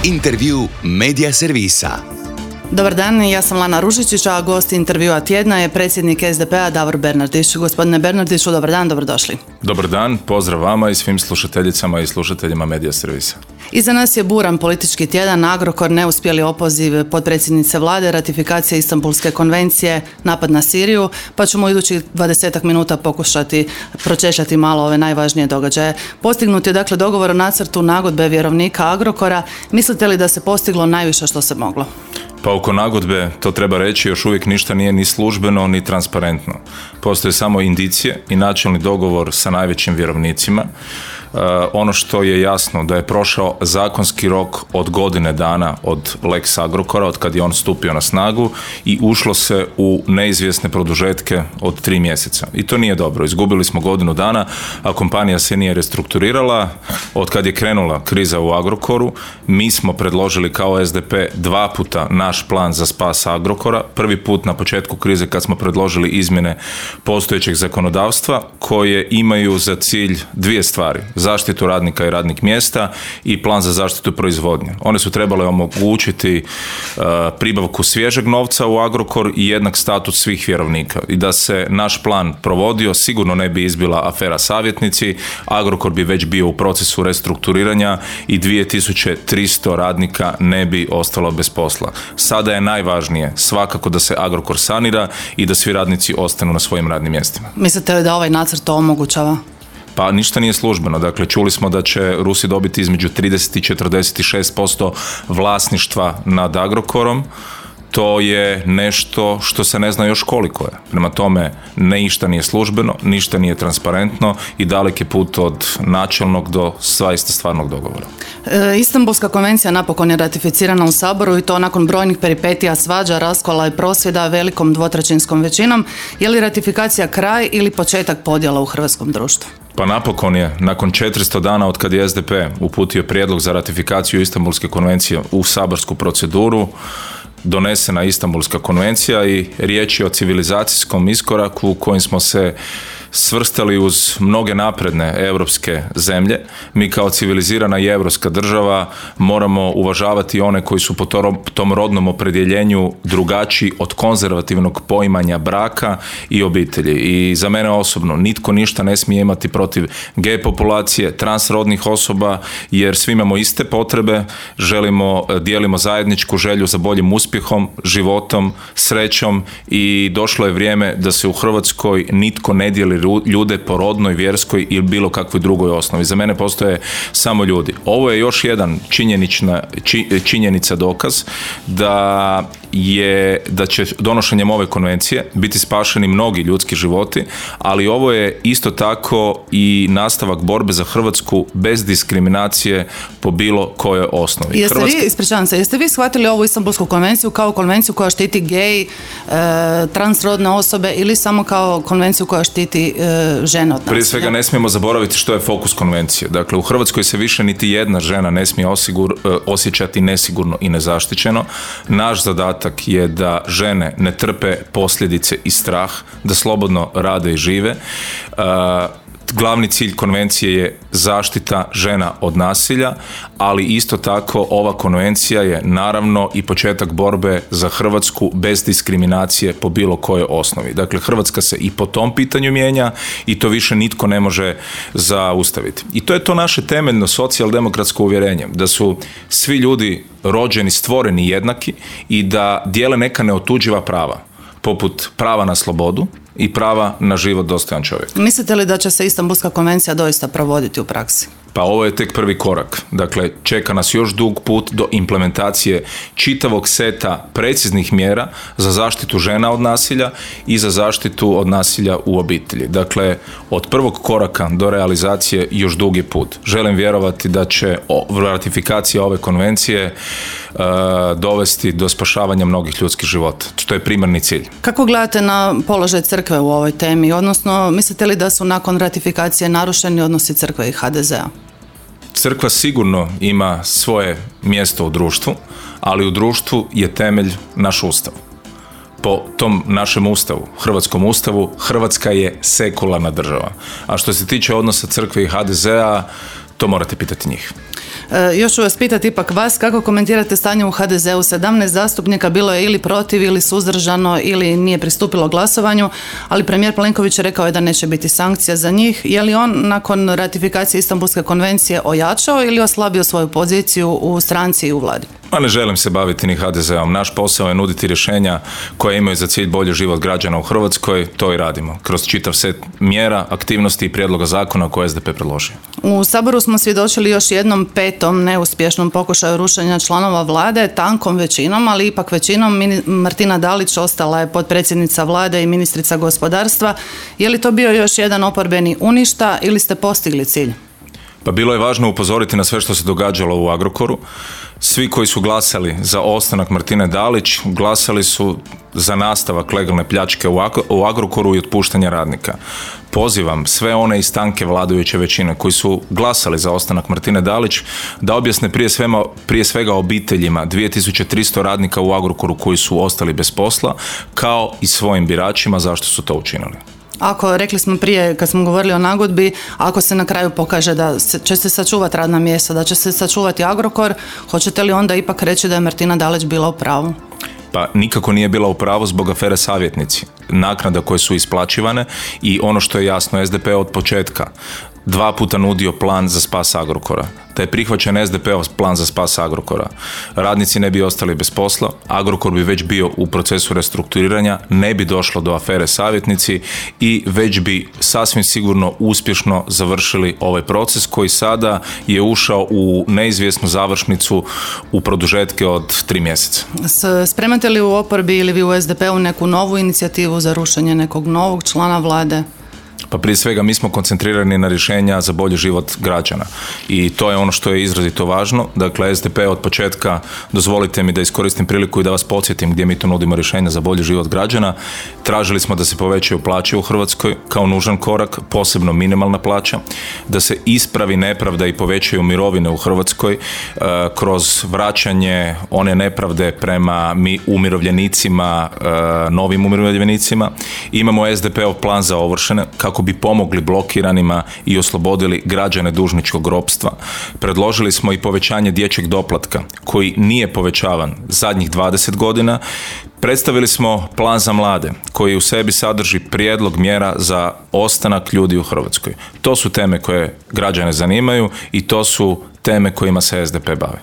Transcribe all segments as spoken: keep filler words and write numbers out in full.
Intervju Medija servisa. Dobar dan, ja sam Lana Ružičić, a gost intervjua tjedna je predsjednik S D P-a Davor Bernardić. Gospodine Bernardiću, dobar dan, dobrodošli. Dobar dan, pozdrav vama i svim slušateljicama i slušateljima Medija servisa. Iza nas je buran politički tjedan, Agrokor, neuspjeli opoziv potpredsjednice vlade, ratifikacija Istanbulske konvencije, napad na Siriju, pa ćemo u idućih dvadesetak minuta pokušati pročešljati malo ove najvažnije događaje. Postignut je dakle dogovor o nacrtu nagodbe vjerovnika Agrokora. Mislite li da se postiglo najviše što se moglo? Pa oko nagodbe, to treba reći, još uvijek ništa nije ni službeno ni transparentno. Postoje samo indicije i načelni dogovor sa najvećim vjerovnicima. Uh, ono što je jasno da je prošao zakonski rok od godine dana od Lex Agrokora, od kad je on stupio na snagu, i ušlo se u neizvjesne produžetke od tri mjeseca. I to nije dobro. Izgubili smo godinu dana, a kompanija se nije restrukturirala. Od kad je krenula kriza u Agrokoru, mi smo predložili kao S D P dva puta naš plan za spas Agrokora. Prvi put na početku krize kad smo predložili izmjene postojećeg zakonodavstva koje imaju za cilj dvije stvari: zaštitu radnika i radnih mjesta i plan za zaštitu proizvodnje. One su trebale omogućiti uh, pribavku svježeg novca u Agrokor i jednak status svih vjerovnika. I da se naš plan provodio, sigurno ne bi izbila afera savjetnici, Agrokor bi već bio u procesu restrukturiranja i dvije tisuće tristo radnika ne bi ostalo bez posla. Sada je najvažnije svakako da se Agrokor sanira i da svi radnici ostanu na svojim radnim mjestima. Mislite li da ovaj nacrt to omogućava? Pa ništa nije službeno. Dakle, čuli smo da će Rusi dobiti između trideset i četrdeset šest posto vlasništva nad Agrokorom. To je nešto što se ne zna još koliko je. Prema tome, ništa nije službeno, ništa nije transparentno i dalek je put od načelnog do zaista stvarnog dogovora. E, Istanbulska konvencija napokon je ratificirana u Saboru i to nakon brojnih peripetija, svađa, raskola i prosvjeda velikom dvotrećinskom većinom. Je li ratifikacija kraj ili početak podjela u hrvatskom društvu? Pa napokon je, nakon četiristo dana od kad je S D P uputio prijedlog za ratifikaciju Istanbulske konvencije u saborsku proceduru, donesena Istanbulska konvencija i riječ je o civilizacijskom iskoraku u kojem smo se svrstali uz mnoge napredne europske zemlje. Mi kao civilizirana i europska država moramo uvažavati one koji su po tom rodnom opredjeljenju drugačiji od konzervativnog poimanja braka i obitelji. I za mene osobno nitko ništa ne smije imati protiv gej populacije, transrodnih osoba, jer svi imamo iste potrebe, želimo, dijelimo zajedničku želju za boljim uspjehom, životom, srećom i došlo je vrijeme da se u Hrvatskoj nitko ne dijeli ljude po rodnoj, vjerskoj ili bilo kakvoj drugoj osnovi. Za mene postoje samo ljudi. Ovo je još jedan činjenična, či, činjenica dokaz da je, da će donošenjem ove konvencije biti spašeni mnogi ljudski životi, ali ovo je isto tako i nastavak borbe za Hrvatsku bez diskriminacije po bilo kojoj osnovi. Jeste Hrvatska... vi, ispričavam se, jeste vi shvatili ovu Istanbulsku konvenciju kao konvenciju koja štiti gej, e, transrodne osobe ili samo kao konvenciju koja štiti e, žene od nasilja? Prije svega ne smijemo zaboraviti što je fokus konvencije. Dakle, u Hrvatskoj se više niti jedna žena ne smije osigur, osjećati nesigurno i nezaštićeno. Naš zadatak je da žene ne trpe posljedice i strah, da slobodno rade i žive. Uh, Glavni cilj konvencije je zaštita žena od nasilja, ali isto tako ova konvencija je naravno i početak borbe za Hrvatsku bez diskriminacije po bilo kojoj osnovi. Dakle, Hrvatska se i po tom pitanju mijenja i to više nitko ne može zaustaviti. I to je to naše temeljno socijaldemokratsko uvjerenje, da su svi ljudi rođeni, stvoreni jednaki i da dijele neka neotuđiva prava, poput prava na slobodu i prava na život dostojan čovjeka. Mislite li da će se Istanbulska konvencija doista provoditi u praksi? Pa ovo je tek prvi korak. Dakle, čeka nas još dug put do implementacije čitavog seta preciznih mjera za zaštitu žena od nasilja i za zaštitu od nasilja u obitelji. Dakle, od prvog koraka do realizacije još dug je put. Želim vjerovati da će ratifikacija ove konvencije uh, dovesti do spašavanja mnogih ljudskih života. To je primarni cilj. Kako gledate na položaj crkve u ovoj temi? Odnosno, mislite li da su nakon ratifikacije narušeni odnosi crkve i ha de zea? Crkva sigurno ima svoje mjesto u društvu, ali u društvu je temelj naš ustav. Po tom našem ustavu, hrvatskom ustavu, Hrvatska je sekularna država. A što se tiče odnosa crkve i ha de zea, To morate pitati njih. E, još ću vas pitati ipak vas, kako komentirate stanje u ha de zeu? sedamnaest zastupnika bilo je ili protiv ili suzdržano ili nije pristupilo glasovanju, ali premijer Plenković rekao je da neće biti sankcija za njih. Je li on nakon ratifikacije Istanbulske konvencije ojačao ili oslabio svoju poziciju u stranci i u vladi? Ma ne želim se baviti ni ha de zeom. Naš posao je nuditi rješenja koje imaju za cilj bolji život građana u Hrvatskoj. To i radimo. Kroz čitav set mjera, aktivnosti i prijedloga zakona koje je es de pe predložio. U Saboru smo svjedočili još jednom petom neuspješnom pokušaju rušenja članova vlade, tankom većinom, ali ipak većinom. Martina Dalić ostala je potpredsjednica vlade i ministrica gospodarstva. Je li to bio još jedan oporbeni uništa ili ste postigli cilj? Pa bilo je važno upozoriti na sve što se događalo u Agrokoru. Svi koji su glasali za ostanak Martine Dalić glasali su za nastavak legalne pljačke u Agrokoru i otpuštanja radnika. Pozivam sve one iz tanke vladajuće većine koji su glasali za ostanak Martine Dalić da objasne prije svega, prije svega obiteljima dvije tisuće tristo radnika u Agrokoru koji su ostali bez posla, kao i svojim biračima zašto su to učinili. Ako, rekli smo prije kad smo govorili o nagodbi, ako se na kraju pokaže da će se sačuvati radna mjesta, da će se sačuvati Agrokor, hoćete li onda ipak reći da je Martina Dalić bila u pravu? Pa nikako nije bila u pravu zbog afere savjetnici, naknada koje su isplaćivane i ono što je jasno, es de pe od početka dva puta nudio plan za spas Agrokora. Da je prihvaćen es de peov plan za spas Agrokora, radnici ne bi ostali bez posla, Agrokor bi već bio u procesu restrukturiranja, ne bi došlo do afere savjetnici i već bi sasvim sigurno uspješno završili ovaj proces koji sada je ušao u neizvjesnu završnicu u produžetke od tri mjeseca. Spremate li u oporbi ili vi u es de pe-u neku novu inicijativu za rušenje nekog novog člana vlade? Pa prije svega mi smo koncentrirani na rješenja za bolji život građana i to je ono što je izrazito važno. Dakle, es de pe od početka, dozvolite mi da iskoristim priliku i da vas podsjetim gdje mi to nudimo rješenja za bolji život građana. Tražili smo da se povećaju plaće u Hrvatskoj kao nužan korak, posebno minimalna plaća, da se ispravi nepravda i povećaju mirovine u Hrvatskoj e, kroz vraćanje one nepravde prema mi umirovljenicima, e, novim umirovljenicima. Imamo es de peov plan za ovršene kako bi pomogli blokiranima i oslobodili građane dužničkog ropstva. Predložili smo i povećanje dječjeg doplatka koji nije povećavan zadnjih dvadeset godina. Predstavili smo plan za mlade koji u sebi sadrži prijedlog mjera za ostanak ljudi u Hrvatskoj. To su teme koje građane zanimaju i to su teme kojima se es de pe bavi.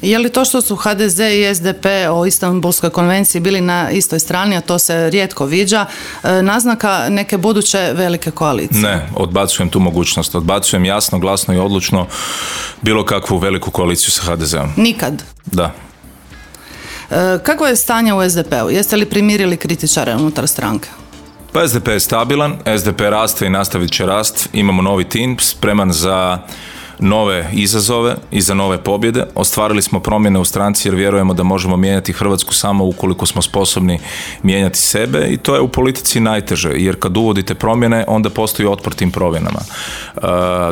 Je li to što su ha de ze i es de pe o Istanbulskoj konvenciji bili na istoj strani, a to se rijetko viđa, naznaka neke buduće velike koalicije? Ne, odbacujem tu mogućnost. Odbacujem jasno, glasno i odlučno bilo kakvu veliku koaliciju sa ha de zeom. Nikad? Da. Kako je stanje u es de pe-u? Jeste li primirili kritičare unutar stranke? Pa es de pe je stabilan, es de pe raste i nastavit će rast. Imamo novi tim spreman za nove izazove i za nove pobjede. Ostvarili smo promjene u stranci jer vjerujemo da možemo mijenjati Hrvatsku samo ukoliko smo sposobni mijenjati sebe i to je u politici najteže jer kad uvodite promjene onda postoji otpor tim promjenama. E,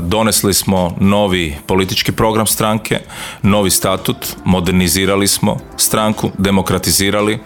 donesli smo novi politički program stranke, novi statut, modernizirali smo stranku, demokratizirali,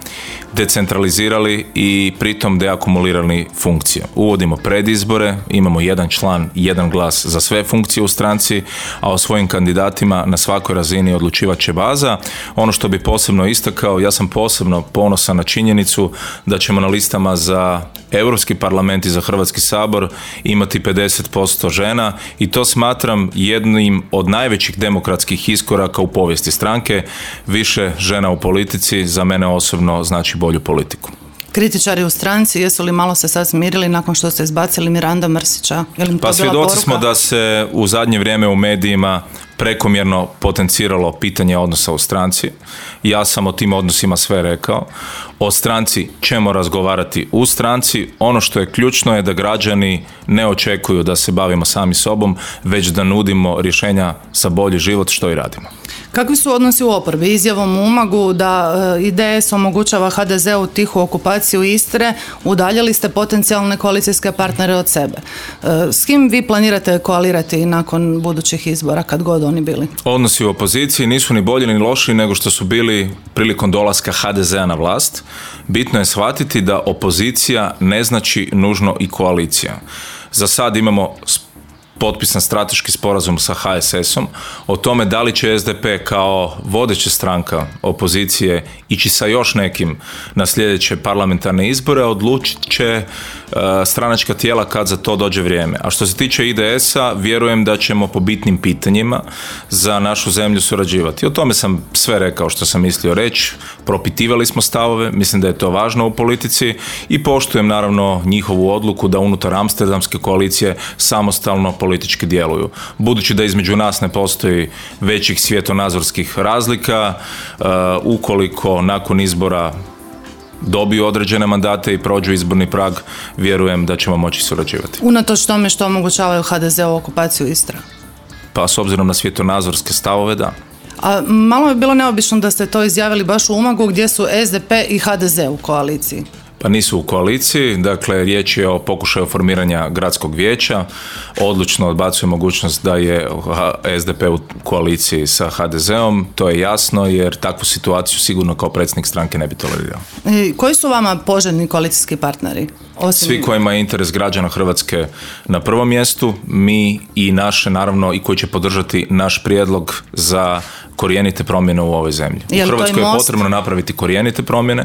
decentralizirali i pritom deakumulirali funkcije. Uvodimo predizbore, imamo jedan član, jedan glas za sve funkcije u stranci, a o svojim kandidatima na svakoj razini odlučivat će baza. Ono što bi posebno istakao, ja sam posebno ponosan na činjenicu da ćemo na listama za Europski parlament i za Hrvatski sabor imati pedeset posto žena i to smatram jednim od najvećih demokratskih iskoraka u povijesti stranke. Više žena u politici za mene osobno znači bolju politiku. Kritičari u stranci, jesu li malo se sad smirili nakon što ste izbacili Miranda Mrsića? Pa svjedoci smo da se u zadnje vrijeme u medijima prekomjerno potenciralo pitanje odnosa u stranci. Ja sam o tim odnosima sve rekao. O stranci ćemo razgovarati u stranci. Ono što je ključno je da građani ne očekuju da se bavimo sami sobom, već da nudimo rješenja za bolji život, što i radimo. Kakvi su odnosi u oporbi? Izjavom u Umagu da i de es omogućava ha de zeu tihu okupaciju Istre, udaljili ste potencijalne koalicijske partnere od sebe. S kim vi planirate koalirati nakon budućih izbora, kad god oni bili? Odnosi u opoziciji nisu ni bolji ni loši nego što su bili prilikom dolaska ha de zea na vlast. Bitno je shvatiti da opozicija ne znači nužno i koalicija. Za sad imamo potpisan strateški sporazum sa ha es esom o tome da li će es de pe kao vodeća stranka opozicije ići sa još nekim na sljedeće parlamentarne izbore, odlučit će uh, stranačka tijela kad za to dođe vrijeme. A što se tiče i de esa, vjerujem da ćemo po bitnim pitanjima za našu zemlju surađivati. O tome sam sve rekao što sam mislio reći, propitivali smo stavove, mislim da je to važno u politici i poštujem naravno njihovu odluku da unutar Amsterdamske koalicije samostalno politički djeluju. Budući da između nas ne postoji većih svjetonazorskih razlika, uh, ukoliko nakon izbora dobiju određene mandate i prođu izborni prag, vjerujem da ćemo moći surađivati. Unatoč tome što omogućavaju ha de ze-u okupaciju Istre? Pa s obzirom na svjetonazorske stavove, da. A malo je bilo neobično da ste to izjavili baš u Umagu gdje su es de pe i ha de ze u koaliciji. Pa nisu u koaliciji, dakle riječ je o pokušaju formiranja gradskog vijeća, odlučno odbacuje mogućnost da je es de pe u koaliciji sa ha de ze-om, to je jasno jer takvu situaciju sigurno kao predsjednik stranke ne bi tolerirao. I koji su vama poželjni koalicijski partneri? Osim... Svi kojima je interes građana Hrvatske na prvom mjestu, mi i naše naravno i koji će podržati naš prijedlog za korijenite promjene u ovoj zemlji. Je u Hrvatskoj je most... potrebno napraviti korijenite promjene,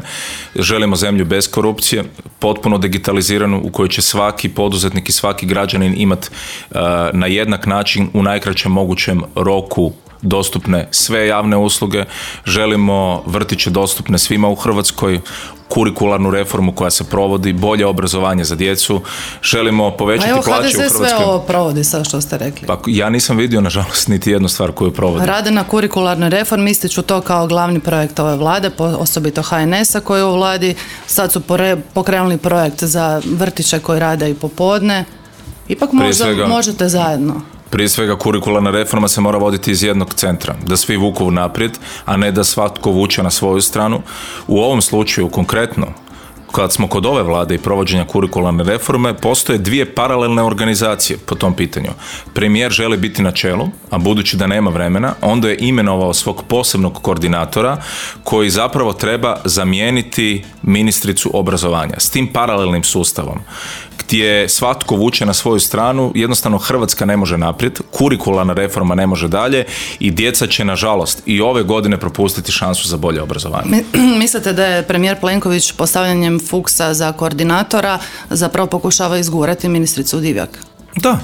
želimo zemlju bez korupcije, potpuno digitaliziranu u kojoj će svaki poduzetnik i svaki građanin imati uh, na jednak način u najkraćem mogućem roku dostupne sve javne usluge, želimo vrtiće dostupne svima u Hrvatskoj, kurikularnu reformu koja se provodi, bolje obrazovanje za djecu, želimo povećati plaće u Hrvatskoj. ha de ze sve ovo provodi, sad što ste rekli. Pa ja nisam vidio, nažalost, niti jednu stvar koju provodi. Rade na kurikularnoj reformi, ističu to kao glavni projekt ove vlade, osobito ha en esa koji je u vladi, sad su pokrenuli projekt za vrtiće koji rade i popodne. Ipak možda svega, možete zajedno. Prije svega kurikularna reforma se mora voditi iz jednog centra, da svi vuku naprijed, a ne da svatko vuče na svoju stranu. U ovom slučaju konkretno, kad smo kod ove vlade i provođenja kurikularne reforme, postoje dvije paralelne organizacije po tom pitanju. Premijer želi biti na čelu, a budući da nema vremena, onda je imenovao svog posebnog koordinatora koji zapravo treba zamijeniti ministricu obrazovanja. S tim paralelnim sustavom gdje svatko vuče na svoju stranu, jednostavno Hrvatska ne može naprijed, kurikularna reforma ne može dalje i djeca će nažalost i ove godine propustiti šansu za bolje obrazovanje. Mislite da je premijer Plenković postavljanjem Fuchsa za koordinatora zapravo pokušava izgurati ministricu Divjak? Da.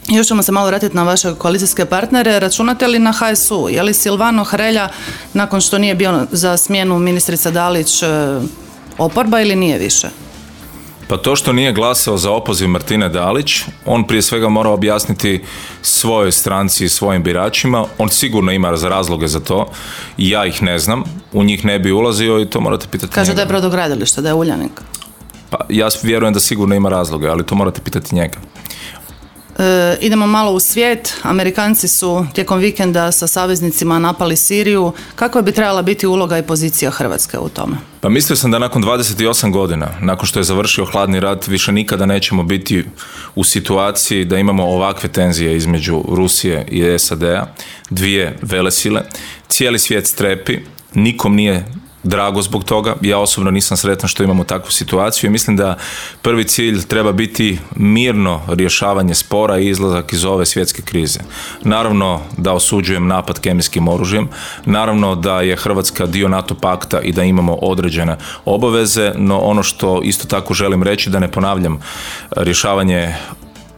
Još ćemo se malo vratiti na vaše koalicijske partnere. Računate li na ha es u? Je li Silvano Hrelja, nakon što nije bio za smjenu ministrica Dalić, oporba ili nije više? Pa to što nije glasao za opoziv Martine Dalić, on prije svega mora objasniti svojoj stranci i svojim biračima. On sigurno ima razloge za to. Ja ih ne znam, u njih ne bi ulazio i to morate pitati Kaže njega. da je brodogradilište, da je Uljanik. Pa ja vjerujem da sigurno ima razloge, ali to morate pitati njega. E, idemo malo u svijet. Amerikanci su tijekom vikenda sa saveznicima napali Siriju. Kako bi trebala biti uloga i pozicija Hrvatske u tome? Pa mislio sam da nakon dvadeset osam godina, nakon što je završio hladni rat, više nikada nećemo biti u situaciji da imamo ovakve tenzije između Rusije i es a de-a, dvije velesile. Cijeli svijet strepi, nikom nije drago zbog toga. Ja osobno nisam sretan što imamo takvu situaciju i mislim da prvi cilj treba biti mirno rješavanje spora i izlazak iz ove svjetske krize. Naravno da osuđujem napad kemijskim oružjem, naravno da je Hrvatska dio NATO pakta i da imamo određene obaveze, no ono što isto tako želim reći da ne ponavljam rješavanje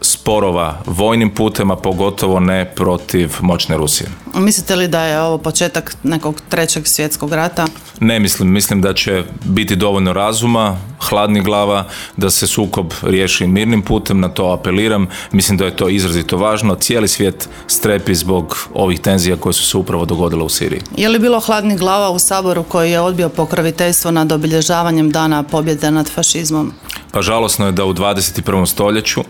sporova vojnim putem, a pogotovo ne protiv moćne Rusije. Mislite li da je ovo početak nekog trećeg svjetskog rata? Ne mislim, mislim da će biti dovoljno razuma, hladnih glava, da se sukob riješi mirnim putem, na to apeliram. Mislim da je to izrazito važno. Cijeli svijet strepi zbog ovih tenzija koje su se upravo dogodile u Siriji. Je li bilo hladnih glava u Saboru koji je odbio pokroviteljstvo nad obilježavanjem dana pobjede nad fašizmom? Pa žalosno je da u dvadeset prvom stoljeću,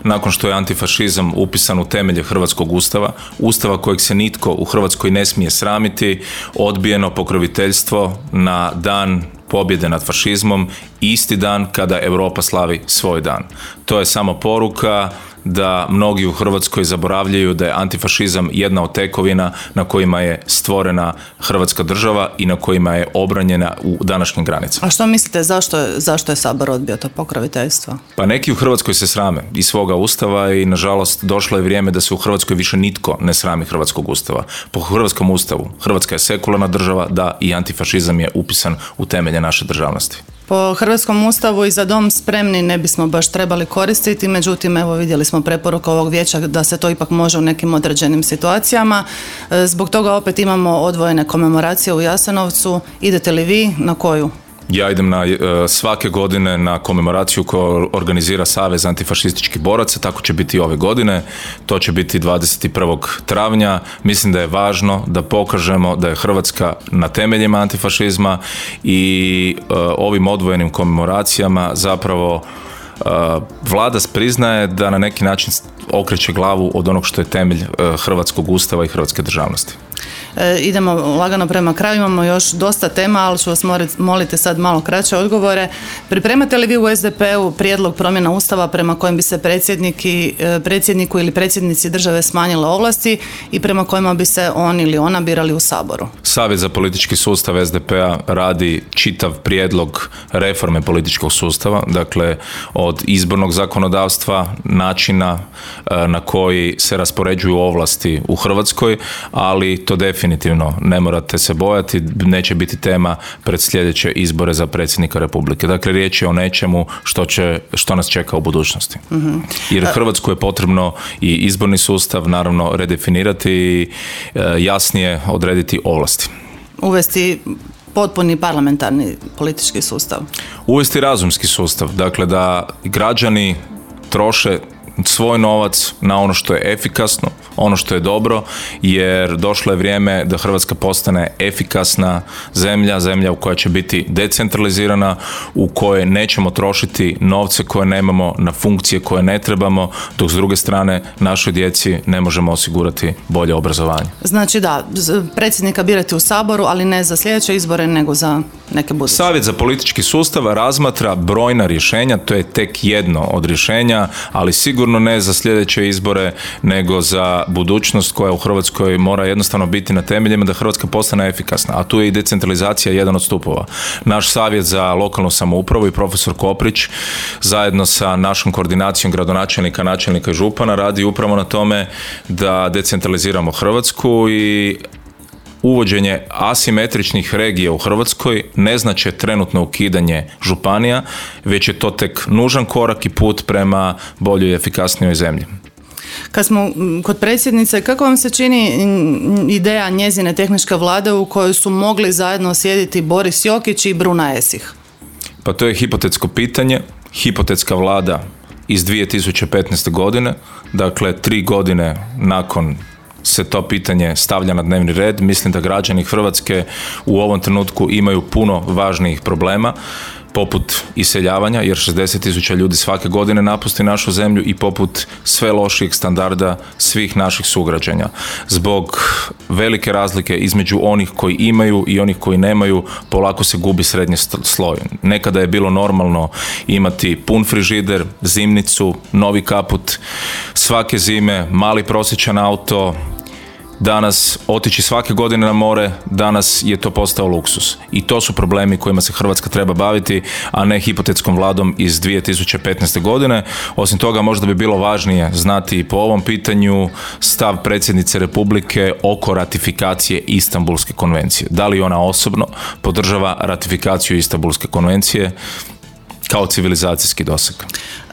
nakon što je antifašizam upisan u temelje Hrvatskog ustava, ustava kojeg se nitko u Hrvatskoj ne smije sramiti, odbijeno pokroviteljstvo na dan pobjede nad fašizmom, isti dan kada Europa slavi svoj dan. To je samo poruka da mnogi u Hrvatskoj zaboravljaju da je antifašizam jedna od tekovina na kojima je stvorena Hrvatska država i na kojima je obranjena u današnjim granicama. A što mislite, zašto je, zašto je Sabor odbio to pokroviteljstvo? Pa neki u Hrvatskoj se srame i svoga ustava i nažalost došlo je vrijeme da se u Hrvatskoj više nitko ne srami hrvatskog ustava. Po hrvatskom ustavu Hrvatska je sekularna država, da, i antifašizam je upisan u temelje naše državnosti. Po hrvatskom ustavu i Za dom spremni ne bismo baš trebali koristiti, međutim evo vidjeli smo preporuku ovog vijeća da se to ipak može u nekim određenim situacijama. Zbog toga opet imamo odvojene komemoracije u Jasenovcu. Idete li vi, na koju? Ja idem na, svake godine na komemoraciju koju organizira Savez antifašističkih boraca, tako će biti i ove godine, to će biti dvadeset prvog travnja. Mislim da je važno da pokažemo da je Hrvatska na temeljima antifašizma i uh, ovim odvojenim komemoracijama zapravo uh, vlada priznaje da na neki način okreće glavu od onog što je temelj uh, hrvatskog ustava i hrvatske državnosti. E, idemo lagano prema kraju, imamo još dosta tema, ali ću vas moliti sad malo kraće odgovore. Pripremate li vi u S D P-u prijedlog promjena Ustava prema kojem bi se predsjedniku ili predsjednici države smanjile ovlasti i prema kojima bi se on ili ona birali u Saboru? Savjet za politički sustav S D P-a radi čitav prijedlog reforme političkog sustava, dakle od izbornog zakonodavstva, načina na koji se raspoređuju ovlasti u Hrvatskoj, ali to definitivno ne morate se bojati, neće biti tema pred sljedeće izbore za predsjednika Republike. Dakle, riječ je o nečemu što, će, što nas čeka u budućnosti. Mm-hmm. Jer Hrvatsku je potrebno i izborni sustav naravno redefinirati i jasnije odrediti ovlasti. Uvesti potpuni parlamentarni politički sustav. Uvesti razumski sustav, dakle da građani troše svoj novac na ono što je efikasno, ono što je dobro, jer došlo je vrijeme da Hrvatska postane efikasna zemlja, zemlja u koja će biti decentralizirana, u kojoj nećemo trošiti novce koje nemamo na funkcije koje ne trebamo, dok s druge strane našoj djeci ne možemo osigurati bolje obrazovanje. Znači da, predsjednika birati u Saboru, ali ne za sljedeće izbore, nego za neke buduće. Savjet za politički sustav razmatra brojna rješenja, to je tek jedno od rješenja, ali sigurno ne za sljedeće izbore, nego za budućnost koja u Hrvatskoj mora jednostavno biti na temeljima da Hrvatska postane efikasna, a tu je i decentralizacija jedan od stupova. Naš savjet za lokalnu samoupravu i profesor Koprić zajedno sa našom koordinacijom gradonačelnika, načelnika i župana radi upravo na tome da decentraliziramo Hrvatsku i uvođenje asimetričnih regija u Hrvatskoj ne znači trenutno ukidanje županija, već je to tek nužan korak i put prema boljoj i efikasnijoj zemlji. Kad smo kod predsjednice, kako vam se čini ideja njezine tehničke vlade u kojoj su mogli zajedno sjediti Boris Jokić i Bruna Esih? Pa to je hipotetsko pitanje, hipotetska vlada iz dvije tisuće petnaeste. godine, dakle tri godine nakon se to pitanje stavlja na dnevni red. Mislim da građani Hrvatske u ovom trenutku imaju puno važnijih problema, poput iseljavanja, jer šezdeset tisuća ljudi svake godine napusti našu zemlju, i poput sve lošijih standarda svih naših sugrađanja. Zbog velike razlike između onih koji imaju i onih koji nemaju, polako se gubi srednji sloj. Nekada je bilo normalno imati pun frižider, zimnicu, novi kaput, svake zime, mali prosječan auto. Danas otići svake godine na more, danas je to postao luksus. I to su problemi kojima se Hrvatska treba baviti, a ne hipotetskom vladom iz dvije tisuće petnaeste. godine. Osim toga, možda bi bilo važnije znati i po ovom pitanju stav predsjednice Republike oko ratifikacije Istanbulske konvencije. Da li ona osobno podržava ratifikaciju Istanbulske konvencije kao civilizacijski doseg?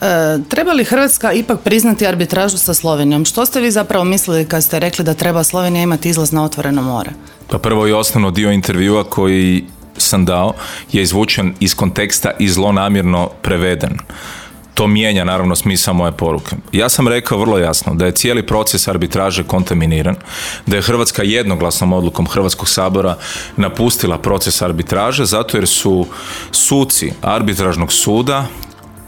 E, treba li Hrvatska ipak priznati arbitražu sa Slovenijom? Što ste vi zapravo mislili kad ste rekli da treba Slovenija imati izlaz na otvoreno more? Pa prvo i osnovno, dio intervjua koji sam dao je izvučen iz konteksta i zlonamjerno preveden. To mijenja naravno smisao moje poruke. Ja sam rekao vrlo jasno da je cijeli proces arbitraže kontaminiran, da je Hrvatska jednoglasnom odlukom Hrvatskog sabora napustila proces arbitraže zato jer su suci arbitražnog suda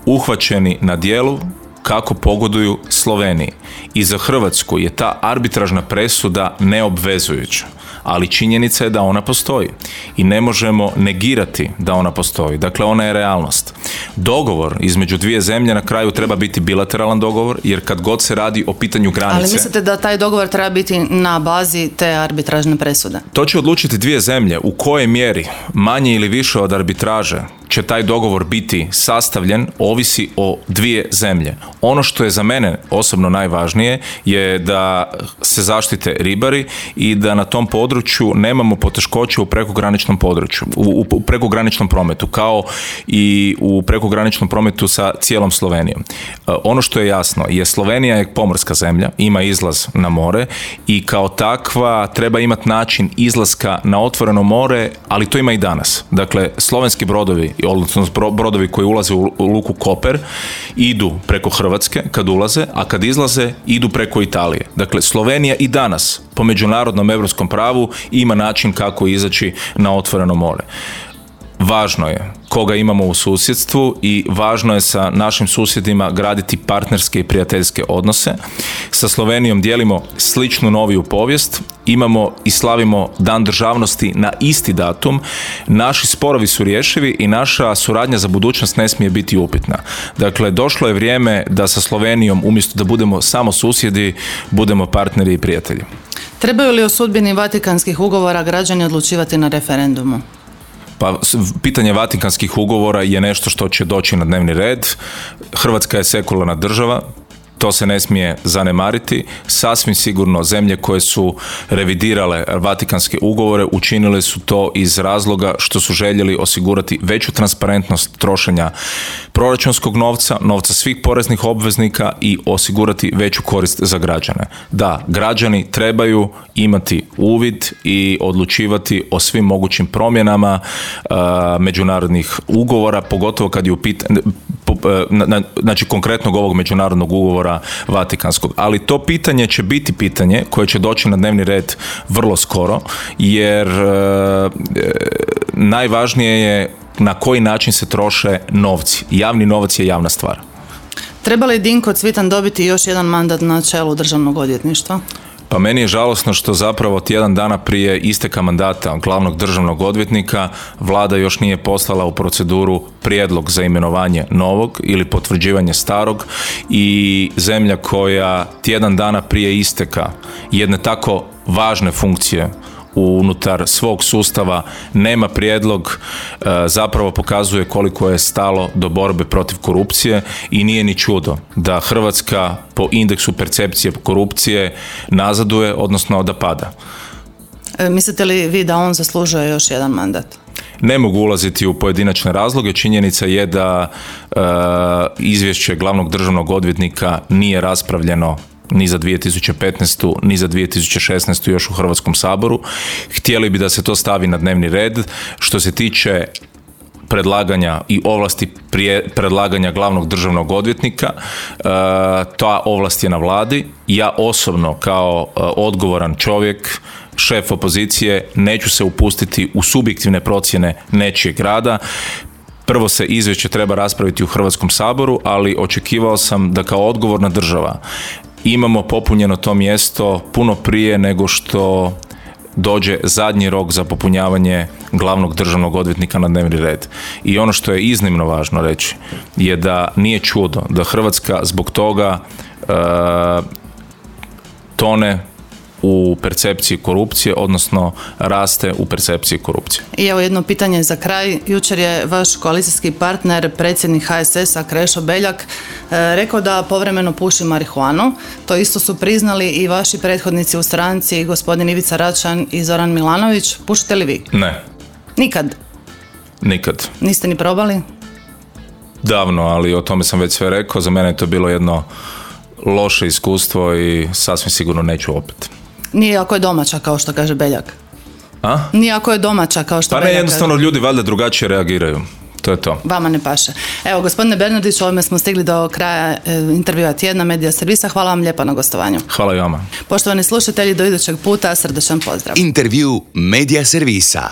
uhvaćeni na djelu kako pogoduju Sloveniji. I za Hrvatsku je ta arbitražna presuda neobvezujuća. ali činjenica je da ona postoji i ne možemo negirati da ona postoji. Dakle, ona je realnost. Dogovor između dvije zemlje na kraju treba biti bilateralan dogovor, jer kad god se radi o pitanju granice... Ali mislite da taj dogovor treba biti na bazi te arbitražne presude? To će odlučiti dvije zemlje u kojoj mjeri, manje ili više od arbitraže, će taj dogovor biti sastavljen, ovisi o dvije zemlje. Ono što je za mene osobno najvažnije je da se zaštite ribari i da na tom području nemamo poteškoće u prekograničnom području, u, u prekograničnom prometu, kao i u prekograničnom prometu sa cijelom Slovenijom. Ono što je jasno je Slovenija je pomorska zemlja, ima izlaz na more i kao takva treba imati način izlaska na otvoreno more, ali to ima i danas. Dakle, slovenski brodovi, odnosno brodovi koji ulaze u luku Koper, idu preko Hrvatske kad ulaze, a kad izlaze idu preko Italije. Dakle, Slovenija i danas po međunarodnom europskom pravu ima način kako izaći na otvoreno more. Važno je koga imamo u susjedstvu i važno je sa našim susjedima graditi partnerske i prijateljske odnose. Sa Slovenijom dijelimo sličnu noviju povijest, imamo i slavimo Dan državnosti na isti datum, naši sporovi su rješivi i naša suradnja za budućnost ne smije biti upitna. Dakle, došlo je vrijeme da sa Slovenijom umjesto da budemo samo susjedi, budemo partneri i prijatelji. Trebaju li o sudbini Vatikanskih ugovora građani odlučivati na referendumu? Pa pitanje Vatikanskih ugovora je nešto što će doći na dnevni red. Hrvatska je sekularna država, to se ne smije zanemariti. Sasvim sigurno zemlje koje su revidirale Vatikanske ugovore učinile su to iz razloga što su željeli osigurati veću transparentnost trošenja proračunskog novca, novca svih poreznih obveznika i osigurati veću korist za građane. Da, građani trebaju imati uvid i odlučivati o svim mogućim promjenama uh, međunarodnih ugovora, pogotovo kad je u pitanju, znači konkretnog ovog međunarodnog ugovora Vatikanskog. Ali to pitanje će biti pitanje koje će doći na dnevni red vrlo skoro, jer e, najvažnije je na koji način se troše novci. Javni novac je javna stvar. Treba li Dinko Cvitan dobiti još jedan mandat na čelu Državnog odvjetništva? Pa meni je žalosno što zapravo tjedan dana prije isteka mandata glavnog državnog odvjetnika Vlada još nije poslala u proceduru prijedlog za imenovanje novog ili potvrđivanje starog i zemlja koja tjedan dana prije isteka jedne tako važne funkcije unutar svog sustava nema prijedlog, zapravo pokazuje koliko je stalo do borbe protiv korupcije i nije ni čudo da Hrvatska po indeksu percepcije korupcije nazaduje, odnosno da pada. E, mislite li vi da on zaslužuje još jedan mandat? Ne mogu ulaziti u pojedinačne razloge, činjenica je da e, izvješće glavnog državnog odvjetnika nije raspravljeno ni za dvije tisuće petnaestu ni za dvije tisuće šesnaestu još u Hrvatskom saboru. Htjeli bi da se to stavi na dnevni red. Što se tiče predlaganja i ovlasti prije predlaganja glavnog državnog odvjetnika, e, ta ovlast je na Vladi. Ja osobno kao e, odgovoran čovjek, šef opozicije, neću se upustiti u subjektivne procjene nečijeg rada. Prvo se izvješće treba raspraviti u Hrvatskom saboru, ali očekivao sam da kao odgovorna država imamo popunjeno to mjesto puno prije nego što dođe zadnji rok za popunjavanje glavnog državnog odvjetnika na dnevni red. I ono što je iznimno važno reći je da nije čudo da Hrvatska zbog toga e, tone u percepciji korupcije, odnosno raste u percepciji korupcije. I evo jedno pitanje za kraj. Jučer je vaš koalicijski partner, predsjednik H S S-a Krešo Beljak, rekao da povremeno puši marihuanu. To isto su priznali i vaši prethodnici u stranci, gospodin Ivica Račan i Zoran Milanović. Pušite li vi? Ne. Nikad? Nikad. Niste ni probali? Davno, ali o tome sam već sve rekao. Za mene je to bilo jedno loše iskustvo i sasvim sigurno neću opet. Nije ako je domaća, kao što kaže Beljak. A? Nije ako je domaća, kao što pa Beljak ne, jednostavno kaže. Ljudi valjda drugačije reagiraju. To je to. Vama ne paše. Evo, gospodine Bernardić, ovime smo stigli do kraja e, intervjua tjedna Medija servisa. Hvala vam lijepa na gostovanju. Hvala i vama. Poštovani slušatelji, do idućeg puta, srdečan pozdrav. Intervju Medija servisa.